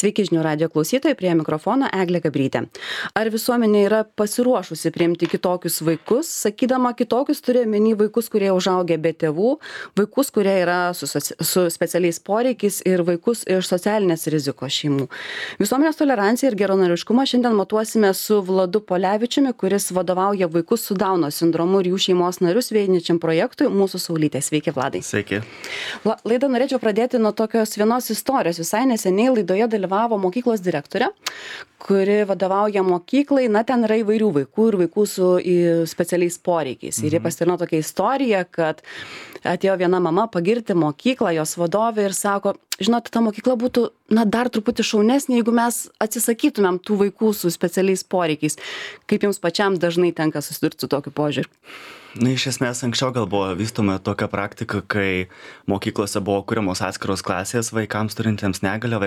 Sveiki žinių radijo klausytojai, prie mikrofono Eglė Gabrytė. Ar visuomenė yra pasiruošusi priimti kitokius vaikus? Sakydama kitokius turi omeny vaikus, kurie užaugę be tėvų, vaikus, kurie yra su specialiais poreikiais ir vaikus iš socialinės rizikos šeimų. Visuomenės toleranciją ir geranoriškumą šiandien matuosime su Vladu Polevičiumi, kuris vadovauja vaikus su Dauno sindromu ir jų šeimos narius vienijančiam projektui Mūsų saulytė. Sveiki, Vladai. Sveiki. Laidą norėčiau pradėti nuo tokios vienos istorijos. Visai neseniai laidoje dalyvavo mokyklos direktorė, kuri vadovauja mokyklai. Ten yra įvairių vaikų ir vaikų su specialiais poreikiais. Ir jie pasidalino tokią istoriją, kad atėjo viena mama pagirti mokyklą, jos vadovė, ir sako, žinot, ta mokykla būtų dar truputį šaunesnė, jeigu mes atsisakytumėm tų vaikų su specialiais poreikiais. Kaip jums pačiam dažnai tenka susidurti su tokiu požiūriu? Iš esmės, anksčiau gal buvo vystoma tokia praktika, kai mokyklose buvo kuriamos atskiros klasės vaikams turintiems negalią,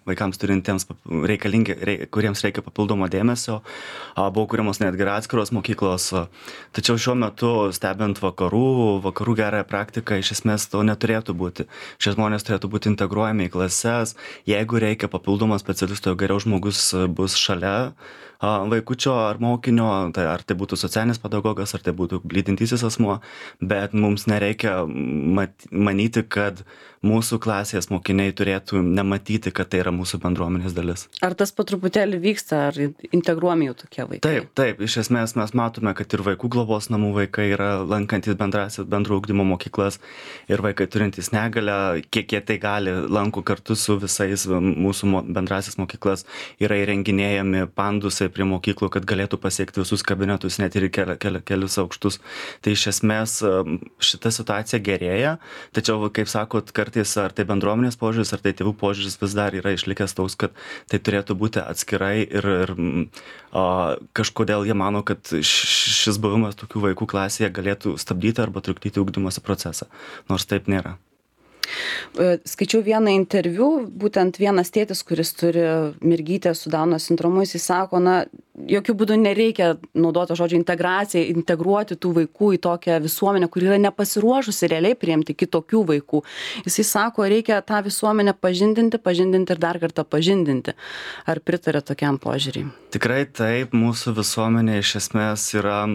vaikams turintiems kuriems reikia papildomo dėmesio. Buvo kuriamos netgi atskiros mokyklos. Tačiau šiuo metu, stebint vakarų gerąją praktiką, iš esmės to neturėtų būti. Šie žmonės turėtų būti integruojami į klases. Jeigu reikia papildomo specialisto, geriau žmogus bus šalia vaikučio ar mokinio, ar tai būtų socialinis pedagogas, ar tai būtų lydintysis asmuo, bet mums nereikia manyti, kad mūsų klasės mokiniai turėtų nematyti, kad tai yra mūsų bendruomenės dalis. Ar tas po truputėlį vyksta, ar integruojami jau tokie vaikai? Taip, iš esmės mes matome, kad ir vaikų globos namų vaikai yra lankantis bendro ugdymo mokyklas ir vaikai turintys negalią, kiek jie tai gali, lanko kartu su visais mūsų bendrasis mokyklas, yra įrenginėjami pandusai prie mokyklų, kad galėtų pasiekti visus kabinetus, net ir kelius aukštus. Tai iš esmės šita situacija gerėja, tačiau, kaip sakot, kartais ar tai bendruomenės požiūris, ar tai tėvų požiūris vis dar yra išlikęs toks, kad tai turėtų būti atskirai ir kažkodėl jie mano, kad šis buvimas tokių vaikų klasėje galėtų stabdyti arba trukdyti ugdymosi procesą, nors taip nėra. Skaičiau vieną interviu, būtent vienas tėtis, kuris turi mergytę su Dauno sindromu, jis sako, jokių būdų nereikia naudoti žodžio integracija, integruoti tų vaikų į tokią visuomenę, kuri yra nepasiruošusi realiai priimti kitokių vaikų. Jis sako, reikia tą visuomenę pažindinti ir dar kartą pažindinti. Ar pritarė tokiam požiūriui? Tikrai taip, mūsų visuomenė iš esmės yra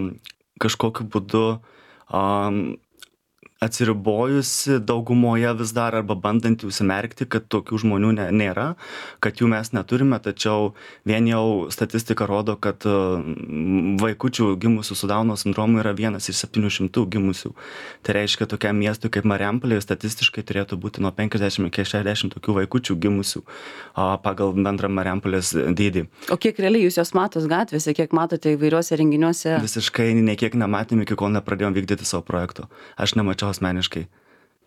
kažkokiu būdu atsiribojusi daugumoje vis dar arba bandanti užsimerkti, kad tokių žmonių nėra, kad jų mes neturime, tačiau vien jau statistika rodo, kad vaikučių gimusių su Dauno sindromu yra 1 iš 700 gimusių. Tai reiškia, tokiam miestui kaip Marijampolė statistiškai turėtų būti nuo 50 iki 60 tokių vaikučių gimusių pagal bendrą Marijampolės dydį. O kiek realiai jūs jos matos gatvėse, kiek matote įvairiuose renginiuose? Visiškai nekiek nematėm, iki kol nepradėjom vykdyti savo projekto. Aš nemačiau asmeniškai.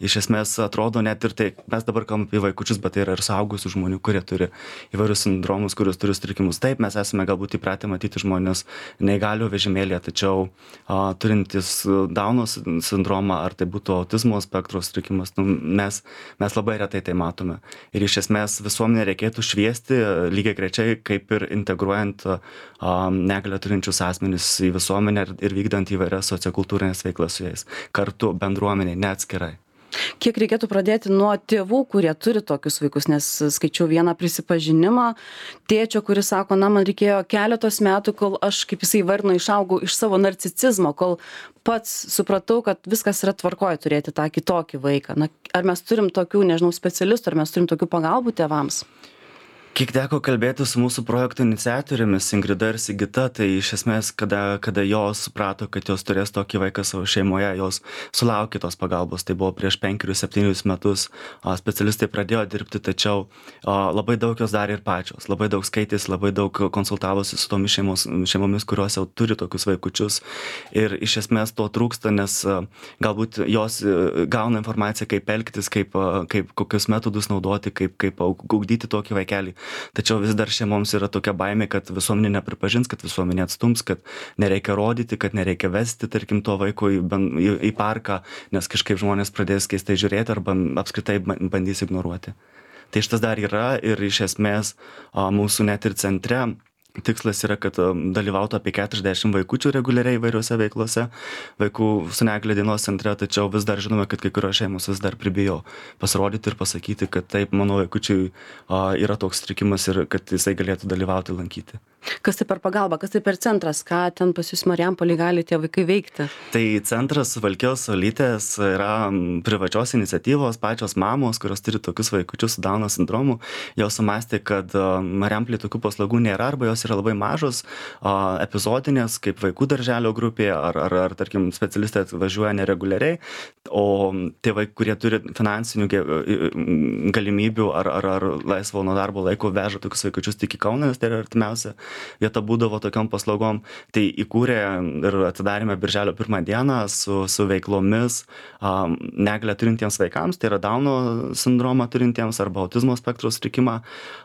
Iš esmės atrodo net ir tai, mes dabar kalbame apie vaikučius, bet tai yra ir suaugusių žmonių, kurie turi įvairius sindromus, kurios turi sutrikimus. Taip, mes esame galbūt įpratę matyti žmonės neįgalio vežimėlėje, tačiau turintis Dauno sindromą, ar tai būtų autizmo spektro sutrikimas, mes labai retai tai matome. Ir iš esmės visuomenė reikėtų šviesti lygiai grečiai, kaip ir integruojant negalią turinčius asmenis į visuomenę ir vykdant įvairias sociokultūrinės veiklas su jais. Kartu bendruomeniai, neatskirai. Kiek reikėtų pradėti nuo tėvų, kurie turi tokius vaikus, nes skaičiau vieną prisipažinimą tėčio, kuris sako, man reikėjo keletos metų, kol aš, kaip jisai vardino, išaugau iš savo narcisizmo, kol pats supratau, kad viskas yra tvarkoje turėti tą kitokį vaiką. Ar mes turim tokių, specialistų, ar mes turim tokių pagalbų tėvams? Kiek teko kalbėti su mūsų projekto iniciatorėmis Ingrida ir Sigita, tai iš esmės, kada jos suprato, kad jos turės tokį vaiką savo šeimoje, jos sulaukė tos pagalbos. Tai buvo prieš 5-7 metus. Specialistai pradėjo dirbti, tačiau labai daug jos darė ir pačios. Labai daug skaitėsi, labai daug konsultavosi su tomis šeimomis, kurios jau turi tokius vaikučius. Ir iš esmės to trūksta, nes galbūt jos gauna informaciją, kaip elgtis, kaip kokius metodus naudoti, kaip ugdyti tokį vaikelį. Tačiau vis dar šeimoms yra tokia baimė, kad visuomenė nepripažins, kad visuomenė atstums, kad nereikia rodyti, kad nereikia vesti, tarkim, to vaiko į parką, nes kažkaip žmonės pradės keistai žiūrėti arba apskritai bandys ignoruoti. Tai šitas dar yra ir iš esmės mūsų net ir centre Tikslas yra, kad dalyvautų apie 40 vaikučių reguliariai įvairiuose veiklose vaikų su negalia dienos centre, tačiau vis dar žinome, kad kai kurios šeimos vis dar pribijo pasirodyti ir pasakyti, kad taip, mano vaikučiui yra toks sutrikimas ir kad jisai galėtų dalyvauti, lankyti. Kas tai per pagalba, kas tai per centras, ką ten pas jūs Marijampolėj gali tie vaikai veikti? Tai centras Suvalkijos Saulytės yra privačios iniciatyvos, pačios mamos, kurios turi tokius vaikučius su Dauno sindromu. Jos sumastė, kad Marijampolėj tokių paslaugų nėra arba jos yra labai mažos, epizodinės, kaip vaikų darželio grupė, ar tarkim, specialistai atvažiuoja nereguliariai, o tėvai, kurie turi finansinių galimybių ar laisvo nuo darbo laiko veža tokius vaikučius tik į Kauną, nes tai yra artimiausia vieta būdavo tokiom paslaugom. Tai įkūrė ir atidarėme birželio 1 dieną su veiklomis negalią turintiems vaikams, tai yra Dauno sindromą turintiems arba autizmo spektro sutrikimą.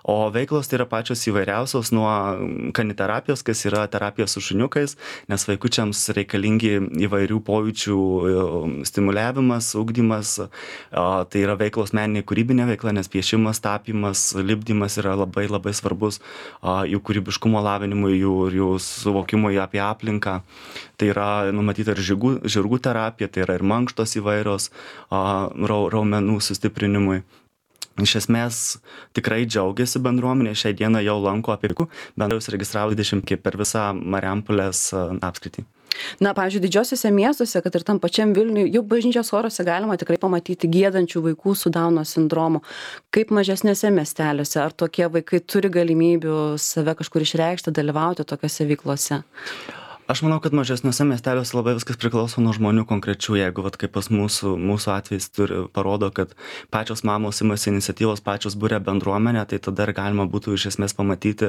O veiklos tai yra pačios įvairiausios, nuo kaniterapijos, kas yra terapija su šuniukais, nes vaikučiams reikalingi įvairių pojūčių stimuliavimas, ugdymas. Tai yra veiklos meninė kūrybinė veikla, nes piešimas, tapymas, lipdymas yra labai labai svarbus jų kūrybiškumo lavinimui, jų suvokimui apie aplinką. Tai yra numatyta ir žirgų terapija, tai yra ir mankštos įvairios raumenų sustiprinimui. Iš esmės tikrai džiaugiasi bendruomenė, šiai dieną jau lanko apie bendrai užsiregistravo 20 per visą Marijampolės apskritį. Na, pavyzdžiui, didžiosiuose miestuose, kad ir tam pačiam Vilniui, jau bažnyčios choruose galima tikrai pamatyti giedančių vaikų su Dauno sindromu. Kaip mažesnėse miesteliuose, ar tokie vaikai turi galimybių save kažkur išreikšti, dalyvauti tokiose veiklose? Aš manau, kad mažesniuose miesteliuose labai viskas priklauso nuo žmonių konkrečių. Jeigu kaip pas mūsų atvejs parodo, kad pačios mamos imasi iniciatyvos, pačios būrė bendruomenę, tai tada ir galima būtų iš esmės pamatyti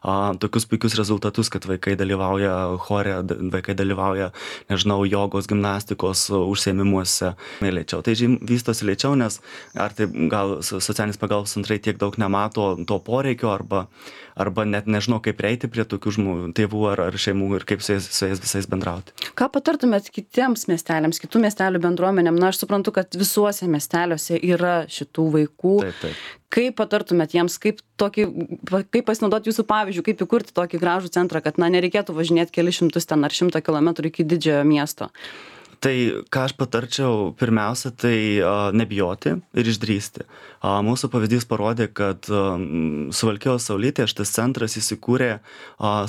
tokius puikius rezultatus, kad vaikai dalyvauja chore, vaikai dalyvauja, nežinau, jogos, gimnastikos užsiėmimuose lėčiau. Tai vystosi lėčiau, nes ar tai gal socialinis pagalbos centrai tiek daug nemato to poreikio arba net nežinau, kaip prieiti prie tokių tėvų ar šeimų ir kaip su jais visais bendrauti. Ką patartumėt kitiems miesteliams, kitų miestelių bendruomenėm? Na, aš suprantu, kad visuose miesteliuose yra šitų vaikų. Taip. Kaip patartumėt jiems, kaip pasinaudoti jūsų pavyzdžių, kaip įkurti tokį gražų centrą, kad nereikėtų važinėti kelius šimtus ten ar 100 kilometrų iki didžiojo miesto? Tai ką aš patarčiau, pirmiausia, tai nebijoti ir išdrįsti. Mūsų pavyzdys parodė, kad Suvalkijos Saulytėje šitas centras įsikūrė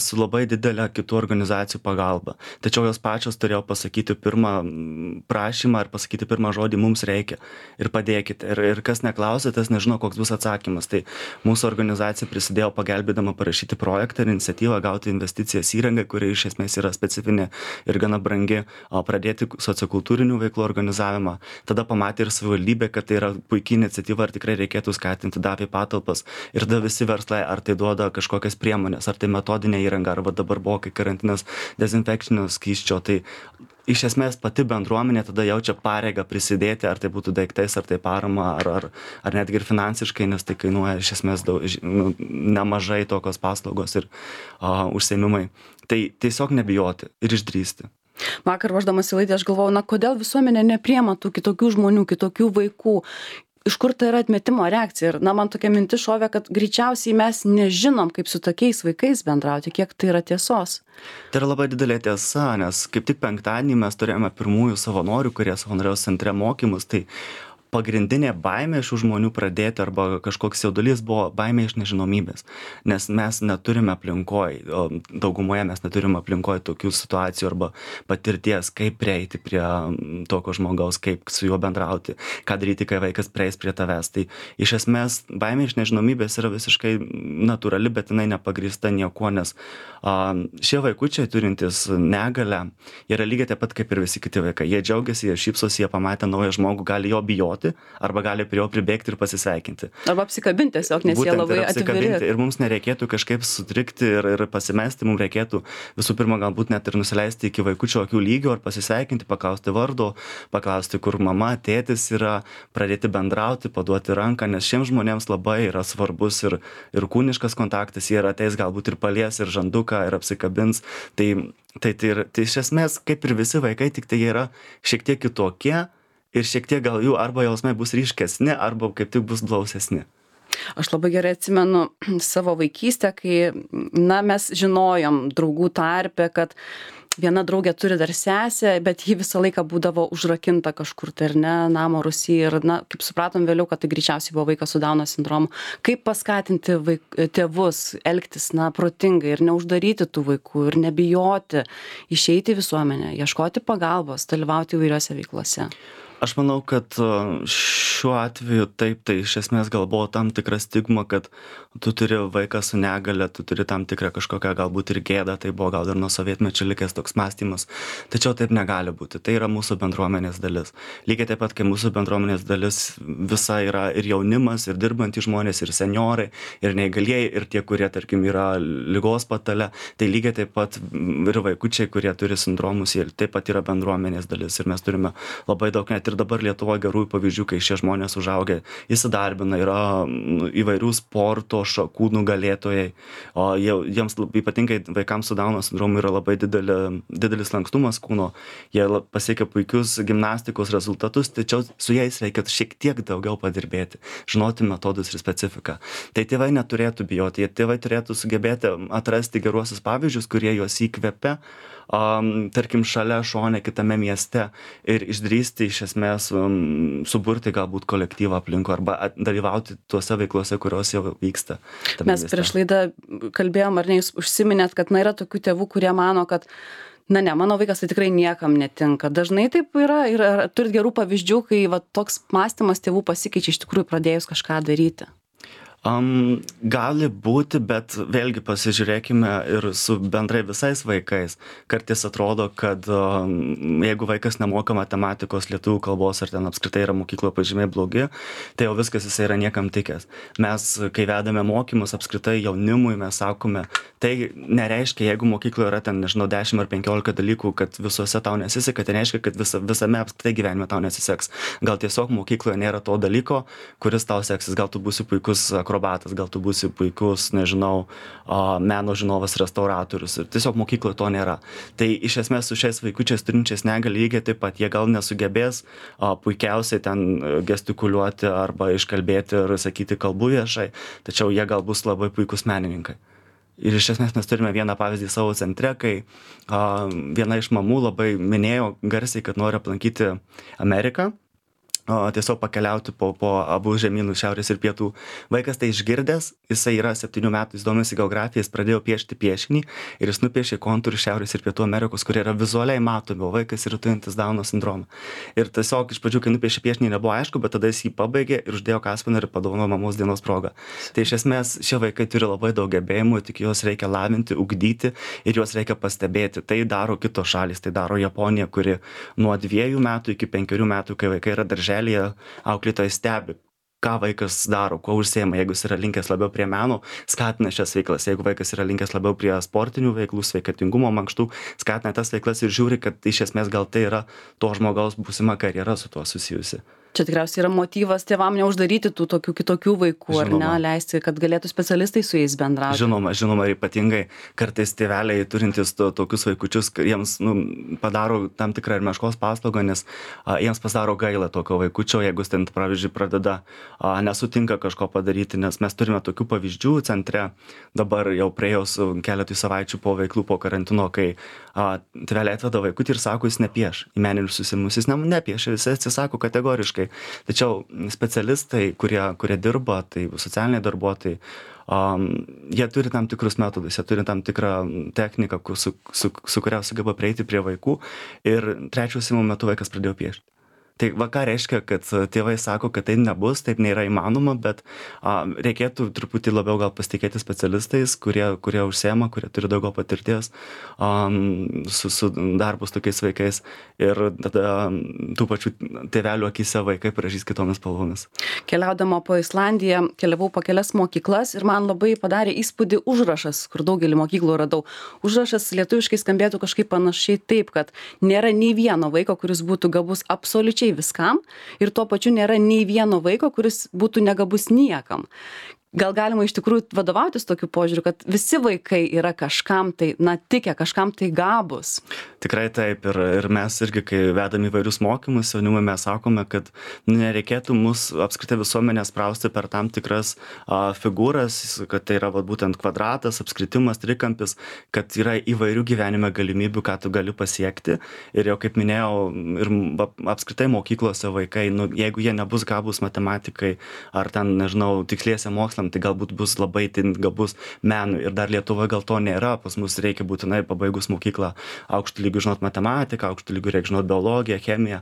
su labai didelė kitų organizacijų pagalba. Tačiau jos pačios turėjo pasakyti pirmą prašymą ir pasakyti pirmą žodį mums reikia ir padėkite. Ir kas neklausė, tas nežino, koks bus atsakymas. Tai mūsų organizacija prisidėjo pagelbėdama parašyti projektą ir iniciatyvą, gauti investicijas įrangą, kuri iš esmės yra specifinė ir gana brangi, pradėti sociokultūrinių veiklų organizavimą. Tada pamatė ir savivaldybė, kad tai yra puikia iniciatyva ir tikrai reikėtų skatinti, davė patalpas. Ir tada visi verslai, ar tai duoda kažkokias priemonės, ar tai metodinė įranga, arba dabar buvo kai karantinas dezinfekcinio skysčio. Tai iš esmės pati bendruomenė tada jaučia pareigą prisidėti, ar tai būtų daiktais, ar tai parama, ar netgi ir finansiškai, nes tai kainuoja iš esmės nemažai tokios paslaugos ir užsiėmimai. Tai tiesiog nebijoti ir išdrįsti. Vakar ruošdamas į laidą aš galvojau, kodėl visuomenė nepriima tų kitokių žmonių, kitokių vaikų. Iš kur tai yra atmetimo reakcija? Ir man tokia mintis šovė, kad greičiausiai mes nežinom, kaip su tokiais vaikais bendrauti, kiek tai yra tiesos. Tai yra labai didelė tiesa, nes kaip tik penktadienį mes turėjome pirmųjų savanorių, kurie savanoriaus centre mokymus, tai pagrindinė baimė šių žmonių pradėti arba kažkoks jaudulys buvo baimė iš nežinomybės, nes mes neturime aplinkoje, daugumoje mes neturime aplinkoje tokių situacijų arba patirties, kaip prieiti prie tokio žmogaus, kaip su juo bendrauti, ką daryti, kai vaikas prieis prie tavęs. Tai iš esmės baimė iš nežinomybės yra visiškai natūrali, bet jinai nepagrįsta niekuo, nes šie vaikučiai turintys negalią yra lygiai taip pat kaip ir visi kiti vaikai. Jie džiaugiasi, jie šypsosi, jie pamatę naują žmogų, gali jo bijoti, arba gali prie jo pribėgti ir pasisveikinti. Arba apsikabinti tiesiog, nes jie labai atviri. Ir mums nereikėtų kažkaip sutrikti ir pasimesti, mums reikėtų visų pirma galbūt net ir nusileisti iki vaikučio akių lygio ir pasisveikinti, paklausti vardo, paklausti, kur mama, tėtis yra, pradėti bendrauti, paduoti ranką, nes šiems žmonėms labai yra svarbus ir kūniškas kontaktas, jie yra ateis galbūt ir palies, ir žanduką, ir apsikabins. Tai iš esmės, kaip ir visi vaikai, tik tai jie yra šiek tiek kitokie ir šiek tiek gal jų arba jausmai bus ryškesni, arba kaip tik bus blausesni. Aš labai gerai atsimenu savo vaikystę, kai, mes žinojom draugų tarpe, kad viena draugė turi dar sesę, bet ji visą laiką būdavo užrakinta kažkur tai, ar ne, namo rūsy. Ir, kaip supratom vėliau, kad tai greičiausiai buvo vaikas su Dauno sindromu. Kaip paskatinti tėvus elgtis, protingai ir neuždaryti tų vaikų ir nebijoti išeiti į visuomenę, ieškoti pagalbos, dalyvauti įvairiose veiklose? Aš manau, kad šiuo atveju taip, tai iš esmės gal buvo tam tikra stigma, kad tu turi vaiką su negale, tu turi tam tikrą kažkokią galbūt ir gėdą, tai buvo gal ir nuo sovietmečio likęs toks mąstymas. Tačiau taip negali būti, tai yra mūsų bendruomenės dalis. Lygiai taip pat, kai mūsų bendruomenės dalis visa yra ir jaunimas, ir dirbantys žmonės, ir seniorai, ir neįgalieji, ir tie, kurie, tarkim, yra ligos patale, tai lygiai taip pat ir vaikučiai, kurie turi sindromus, jie taip pat yra bendruomenės dalis. Ir mes turime labai daug, net ir dabar Lietuvoje gerųjų pavyzdžių, kai šie žmonės užaugę, įsidarbina, yra įvairių sporto šakų nugalėtojai, o jiems ypatingai vaikams su Dauno sindromu yra labai didelis lankstumas kūno, jie pasiekia puikius gimnastikos rezultatus, tačiau su jais reikia šiek tiek daugiau padirbėti, žinoti metodus ir specifiką. Tai tėvai neturėtų bijoti, tėvai turėtų sugebėti atrasti geruosius pavyzdžius, kurie juos įkvepia, tarkim, šalia šone kitame mieste ir išdrįsti iš esmės suburti galbūt kolektyvą aplinkui arba dalyvauti tuose veiklose, kurios jau vyksta. Mes prieš laidą kalbėjom, ar ne, jūs užsiminėt, kad yra tokių tėvų, kurie mano, kad mano vaikas tai tikrai niekam netinka. Dažnai taip yra ir turit gerų pavyzdžių, kai toks mąstymas tėvų pasikeičia iš tikrųjų pradėjus kažką daryti? Gali būti, bet vėlgi pasižiūrėkime ir su bendrai visais vaikais. Kartais atrodo, kad jeigu vaikas nemoka matematikos, lietuvių kalbos ar ten apskritai yra mokykloje pažymiai blogi, tai jau viskas jisai yra niekam tikęs. Mes, kai vedame mokymus apskritai jaunimui, mes sakome, tai nereiškia, jeigu mokykloje yra ten, 10 ar 15 dalykų, kad visuose tau nesiseka, tai nereiškia, kad visame apskritai gyvenime tau nesiseks. Gal tiesiog mokykloje nėra to dalyko, kuris tau seksis, gal tu būsi puikus akrobatas, gal tu būsi puikus, meno žinovas, restauratorius. Ir tiesiog mokykloje to nėra. Tai iš esmės su šiais vaikučiais turinčiais negalį lygiai taip pat jie gal nesugebės puikiausiai ten gestikuliuoti arba iškalbėti ir sakyti kalbų viešai, tačiau jie gal bus labai puikus menininkai. Ir iš esmės mes turime vieną pavyzdį savo centre, kai viena iš mamų labai minėjo garsiai, kad nori aplankyti Ameriką. Tiesiog pakeliauti po abu žemynus, šiaurės ir pietų. Vaikas tai išgirdęs, jisai yra 7 metų, jis domisi geografiją, jis pradėjo piešti piešinį ir jis nupiešė kontūrus šiaurės ir pietų Amerikos, kurie yra vizualiai matomi, o vaikas yra turintis Dauno sindromą. Ir tiesiog iš pradžių, kai nupiešė piešinį, nebuvo aišku, bet tada jis jį pabaigė ir uždėjo kaspiną ir padovanojo mamos dienos progą. Tai iš esmės šie vaikai turi labai daug gebėjimų, tik juos reikia lavinti, ugdyti ir juos reikia pastebėti. Tai daro kitos šalys, tai daro Japonija, kuri nuo 2 metų iki 5 metų, kai vaikai yra darželyje, auklėtojai stebi, ką vaikas daro, kuo užsiema. Jeigu jis yra linkęs labiau prie meno, skatina šias veiklas. Jeigu vaikas yra linkęs labiau prie sportinių veiklų, sveikatingumo, mankštų, skatina tas veiklas ir žiūri, kad iš esmės gal tai yra to žmogaus būsima karjera su tuo susijusi. Čia tikriausiai yra motyvas tėvam neuždaryti tų tokių kitokių vaikų, Žinoma. ar ne, leisti, kad galėtų specialistai su jais bendrauti. Žinoma, ir ypatingai kartais tėveliai turintys tokius vaikučius, jiems padaro tam tikrą ir meškos paslaugą, nes jiems pasidaro gaila tokio vaikučio, jeigu jis ten, pavyzdžiui, pradeda nesutinka kažko padaryti, nes mes turime tokių pavyzdžių centre, dabar jau praėjus keletui savaičių po veiklų, po karantino, kai tėveliai atveda vaikutį ir sako, jis nepieš į meninius susimus, jis nepieš, jis atsisako kategoriškai. Tačiau specialistai, kurie dirba, tai socialiniai darbuotojai, jie turi tam tikrus metodus, jie turi tam tikrą techniką, su kuria sugeba prieiti prie vaikų ir 3 užsiėmimo metu vaikas pradėjo piešti. Tai ką reiškia, kad tėvai sako, kad tai nebus, taip nėra įmanoma, bet reikėtų truputį labiau gal pasitikėti specialistais, kurie užsiema, kurie turi daugiau patirties su darbu su tokiais vaikais ir tada tų pačių tėvelių akyse vaikai pražys kitomis spalvomis. Keliaudama po Islandiją, keliavau po kelias mokyklas ir man labai padarė įspūdį užrašas, kur daugelį mokyklų radau. Užrašas lietuviškai skambėtų kažkaip panašiai taip, kad nėra nei vieno vaiko, kuris būtų gabus absoliučiai viskam ir tuo pačiu nėra nei vieno vaiko, kuris būtų negabus niekam. gal galima iš tikrųjų vadovautis tokiu požiūriu, kad visi vaikai yra kažkam tai, tikę, kažkam tai gabus. Tikrai taip, ir mes irgi, kai vedam įvairius mokymus, jaunimui mes sakome, kad nereikėtų mus apskritai visuomenę sprausti per tam tikras figūras, kad tai yra būtent kvadratas, apskritimas, trikampis, kad yra įvairių gyvenime galimybių, ką tu gali pasiekti. Ir jau kaip minėjau, ir apskritai mokyklose vaikai, jeigu jie nebus gabus matematikai ar ten, nežinau, tiksliesiam mokslam, tai galbūt bus labai gabus menui. Ir dar Lietuvoje gal to nėra, pas mus reikia būtinai pabaigus mokyklą aukštų lygių žinot matematiką, aukštų lygių reikia žinot biologiją, chemiją.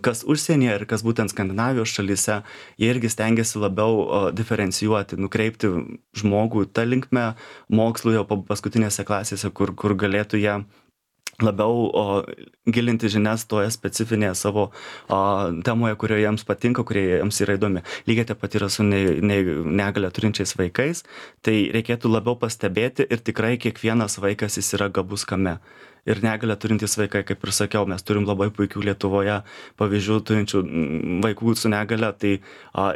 Kas užsienyje ir kas būtent Skandinavijos šalyse, jie irgi stengiasi labiau diferencijuoti, nukreipti žmogų tą linkmę mokslų jau paskutinėse klasėse, kur galėtų jie labiau gilinti žinias toje specifinėje savo temoje, kurioje jiems patinka, kurioje jiems yra įdomi. Lygiai taip pat yra su negalią turinčiais vaikais, tai reikėtų labiau pastebėti ir tikrai kiekvienas vaikas jis yra gabus kame. Ir negalią turintys vaikai, kaip ir sakiau, mes turim labai puikių Lietuvoje pavyzdžių turinčių vaikų su negale, tai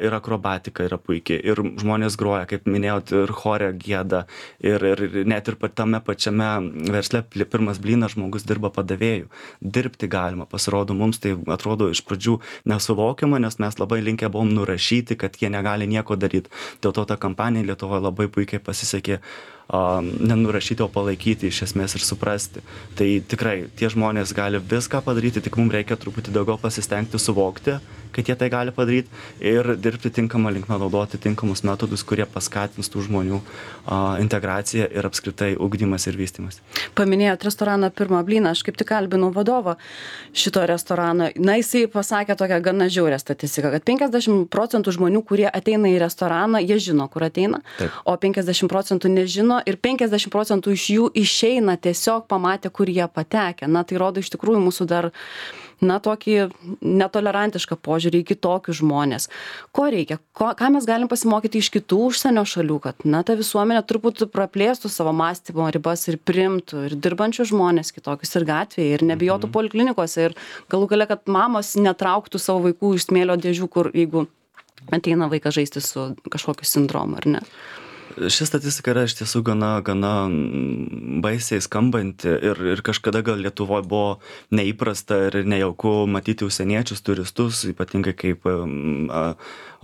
ir akrobatika yra puikiai, ir žmonės groja, kaip minėjot, ir chore gieda, ir net ir tame pačiame versle pirmas blynas žmogus dirba padavėjų. Dirbti galima, pasirodo, mums tai atrodo iš pradžių nesuvokiama, nes mes labai linkę buvom nurašyti, kad jie negali nieko daryti. Dėl to ta kampanija Lietuvoje labai puikiai pasisekė nenurašyti, o palaikyti iš esmės ir suprasti. Tai tikrai tie žmonės gali viską padaryti, tik mums reikia truputį daugiau pasistengti suvokti, kad jie tai gali padaryti ir dirbti tinkamą linkmę, naudoti tinkamus metodus, kurie paskatins tų žmonių integraciją ir apskritai ugdymas ir vystymas. Paminėjot restoraną Pirmą blyną, aš kaip tik kalbinau vadovą šito restorano. Jisai pasakė tokią gana žiaurią statistiką, kad 50% žmonių, kurie ateina į restoraną, jie žino, kur ateina, Taip. o 50% nežino ir 50% iš jų išeina tiesiog pamatę, kur jie patekę. Tai rodo iš tikrųjų mūsų dar tokį netolerantišką požiūrį į kitokius žmonės. Ko reikia? Ką mes galim pasimokyti iš kitų užsienio šalių, kad ta visuomenė turbūt praplėstų savo mąstymo ribas ir priimtų ir dirbančių žmonės kitokius ir gatvėje, ir nebijotų poliklinikose, ir galų gale, kad mamos netrauktų savo vaikų iš smėlio dėžių, kur jeigu ateina vaikas žaisti su kažkokiu sindromu, ar ne? Ši statistika yra iš tiesų gana baisiai skambanti ir kažkada gal Lietuvoje buvo neįprasta ir nejauku matyti užsieniečius, turistus, ypatingai kaip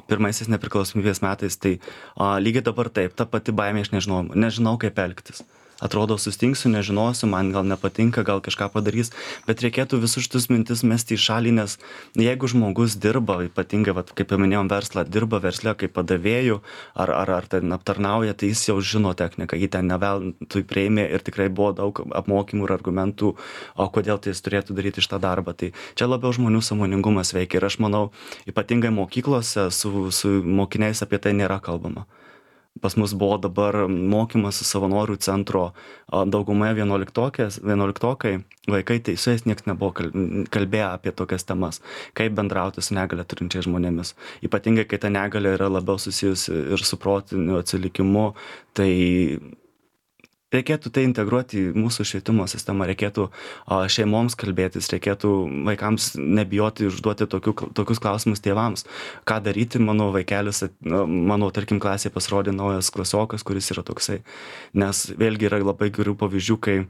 pirmaisiais nepriklausomybės metais, tai lygiai dabar taip, ta pati baimė, aš nežinau kaip elgtis. Atrodo, sustingsiu, nežinosiu, man gal nepatinka, gal kažką padarys, bet reikėtų visus šitus mintis mesti į šalį, nes jeigu žmogus dirba, ypatingai, kaip paminėjom, verslą, dirba versle kaip padavėjų ar ten aptarnauja, tai jis jau žino techniką, jį ten neveltui priėmė ir tikrai buvo daug apmokymų ir argumentų, kodėl tai jis turėtų daryti šitą darbą. Tai čia labiau žmonių sąmoningumas veikia ir aš manau, ypatingai mokyklose su mokiniais apie tai nėra kalbama. Pas mus buvo dabar mokymas savanorių centro daugumoje 11-okai vaikai, tai su jais niekas nebuvo kalbėję apie tokias temas, kaip bendrauti su negalia turinčiais žmonėmis. Ypatingai, kai ta negalia yra labiau susijusi ir su protiniu atsilikimu, tai reikėtų tai integruoti į mūsų švietimo sistemą, reikėtų šeimoms kalbėtis, reikėtų vaikams nebijoti užduoti tokius klausimus tėvams. Ką daryti, mano vaikelis, tarkim, klasėje pasirodė naujas klasiokas, kuris yra toksai. Nes vėlgi yra labai gerų pavyzdžių, kai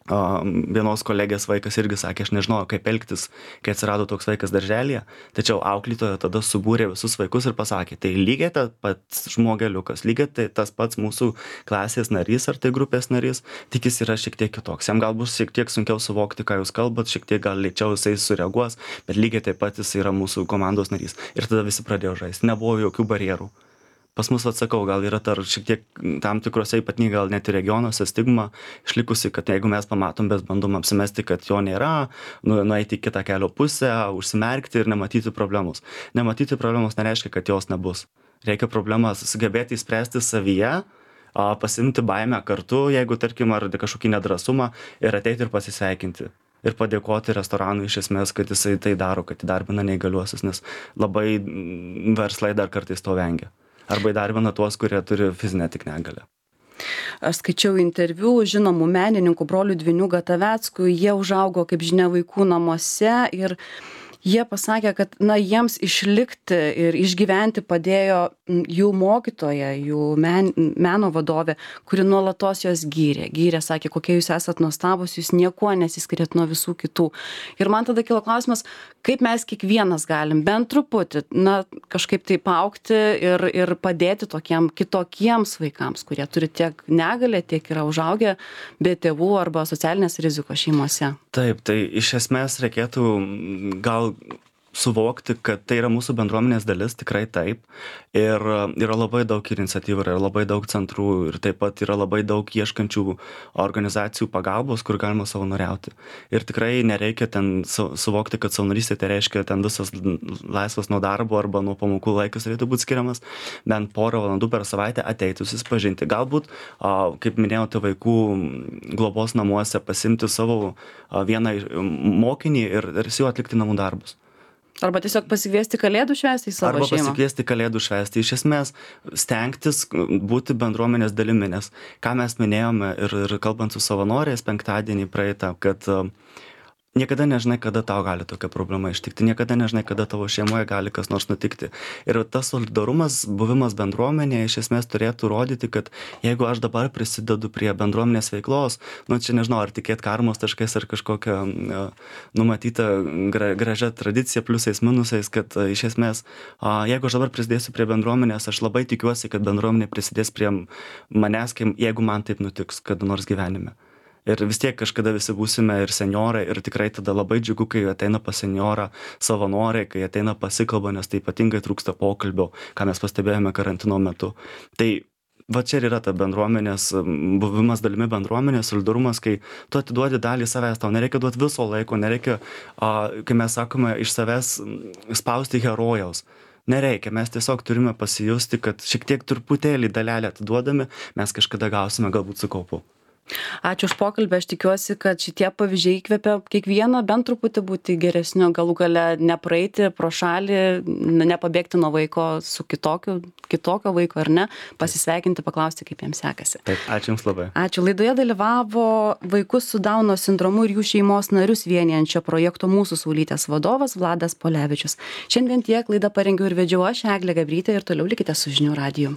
vienos kolegės vaikas irgi sakė, aš nežinojau, kaip elgtis, kai atsirado toks vaikas darželyje, tačiau auklėtoja tada subūrė visus vaikus ir pasakė, tai lygiai tas pats žmogeliukas, lygiai tas pats mūsų klasės narys ar tai grupės narys, tik jis yra šiek tiek kitoks. Jam gal bus šiek tiek sunkiau suvokti, ką jūs kalbat, šiek tiek gal lėčiau jisai sureaguos, bet lygiai taip pat jis yra mūsų komandos narys. Ir tada visi pradėjo žaisti, nebuvo jokių barjerų. Pas mus, atsakau, gal yra šiek tiek tam tikrose, ypatingai gal net ir regionuose stigma išlikusi, kad jeigu mes pamatom, bet bandom apsimesti, kad jo nėra, nueiti į kitą kelio pusę, užsimerkti ir nematyti problemos. Nematyti problemos nereiškia, kad jos nebus. Reikia problemas sugebėti įspręsti savyje, pasimti baimę kartu, jeigu, tarkim, ar kažkokį nedrąsumą ir ateiti ir pasisveikinti. Ir padėkoti restoranui iš esmės, kad jisai tai daro, kad įdarbina neįgaliuosius, nes labai verslai dar kartais to vengia. Arba įdarbina tuos, kurie turi fizinę tik negalią. Aš skaičiau interviu žinomų menininkų brolių dvynių Gataveckų, jie užaugo, kaip žinia, vaikų namuose ir Jie pasakė, kad jiems išlikti ir išgyventi padėjo jų mokytoja, jų meno vadovė, kuri nuolatos jos gyrė, sakė, kokie jūs esat nuostabus, jūs niekuo nesiskiriat nuo visų kitų. Ir man tada kilo klausimas, kaip mes kiekvienas galim bent truputį, kažkaip taip augti ir padėti kitokiems vaikams, kurie turi tiek negalę, tiek yra užaugę be tėvų arba socialinės rizikos šeimose. Taip, tai iš esmės reikėtų gal suvokti, kad tai yra mūsų bendruomenės dalis, tikrai taip. Ir yra labai daug iniciatyvų, yra labai daug centrų ir taip pat yra labai daug ieškančių organizacijų pagalbos, kur galima savanoriauti. Ir tikrai nereikia ten suvokti, kad savanorystė tai reiškia ten visas laisvas nuo darbo arba nuo pamokų laikas turėtų būti skiriamas, bent porą valandų per savaitę ateiti susipažinti. Galbūt, kaip minėjote, vaikų globos namuose pasimti savo vieną mokinį ir su juo atlikti namų darbus. Arba tiesiog pasikviesti kalėdų švęsti į savo šeimą. Arba pasikviesti kalėdų švęsti. Iš esmės, stengtis būti bendruomenės dalimi, nes ką mes minėjome ir kalbant su savanoriais penktadienį praeitą, kad niekada nežinai, kada tau gali tokia problema ištikti, niekada nežinai, kada tavo šeimoje gali kas nors nutikti. Ir tas solidarumas, buvimas bendruomenėje iš esmės turėtų rodyti, kad jeigu aš dabar prisidedu prie bendruomenės veiklos, čia nežinau, ar tikėt karmos taškais ar kažkokią numatytą gražią tradiciją pliusais, minusais, kad iš esmės, jeigu aš dabar prisidėsiu prie bendruomenės, aš labai tikiuosi, kad bendruomenė prisidės prie manęs, jeigu man taip nutiks kada nors gyvenime. Ir vis tiek kažkada visi būsime ir senjorai ir tikrai tada labai džiugu, kai ateina pas senjorą savanoriai, kai ateina pasikalba, nes tai ypatingai trūksta pokalbio, ką mes pastebėjome karantino metu. Tai va čia ir yra ta bendruomenės, buvimas dalimi bendruomenės, solidarumas, kai tu atiduodi dalį savęs, tau nereikia duoti viso laiko, nereikia, kai mes sakome, iš savęs spausti herojaus. Nereikia, mes tiesiog turime pasijusti, kad šiek tiek truputėlį dalelę atiduodami, mes kažkada gausime galbūt su kaupu. Ačiū už pokalbį, aš tikiuosi, kad šitie pavyzdžiai įkvepia kiekvieną bent truputį būti geresniu, galų gale nepraeiti pro šalį, nepabėgti nuo vaiko su kitokio vaiko ar ne, pasisveikinti, paklausti, kaip jiems sekasi. Taip, ačiū Jums labai. Ačiū. Laidoje dalyvavo vaikus su Dauno sindromu ir jų šeimos narius vienijančio projekto Mūsų saulytės vadovas Vladas Polevičius. Šiandien tiek, laidą parengiau ir vedžiau aš, Eglė Gabrytė, ir toliau likite su Žinių radiju.